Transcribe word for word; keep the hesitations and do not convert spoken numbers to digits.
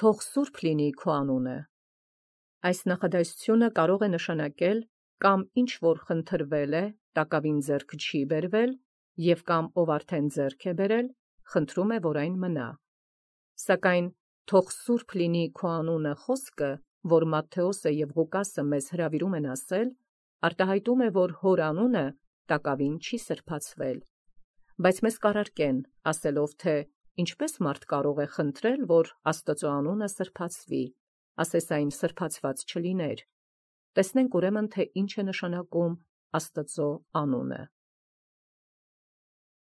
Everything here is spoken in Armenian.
թող սուրբ լինի քո անունը։ Այս նախադասությունը կարող է նշանակել կամ ինչ որ խնդրվել է, տակավին ձեռք չի բերվել, եւ կամ ով արդեն ձեռք է բերել, խնդրում է, որ այն մնա։ Սակայն թող սուրբ լինի քո անունը խոսքը, որ Մատթեոսը եւ Ղուկասը մեզ հրավիրում են ասել, արտահայտում է, որ հոր անունը տակավին չի սրբացվել։ Բայց մեզ կառարկեն, ասելով, թե ինչպես մարդ կարող է խնդրել, որ Աստծո անունը սրբացվի, ասես այն սրբացված չլիներ։ Տեսնենք ուրեմն, թե ինչ է նշանակում Աստծո անունը։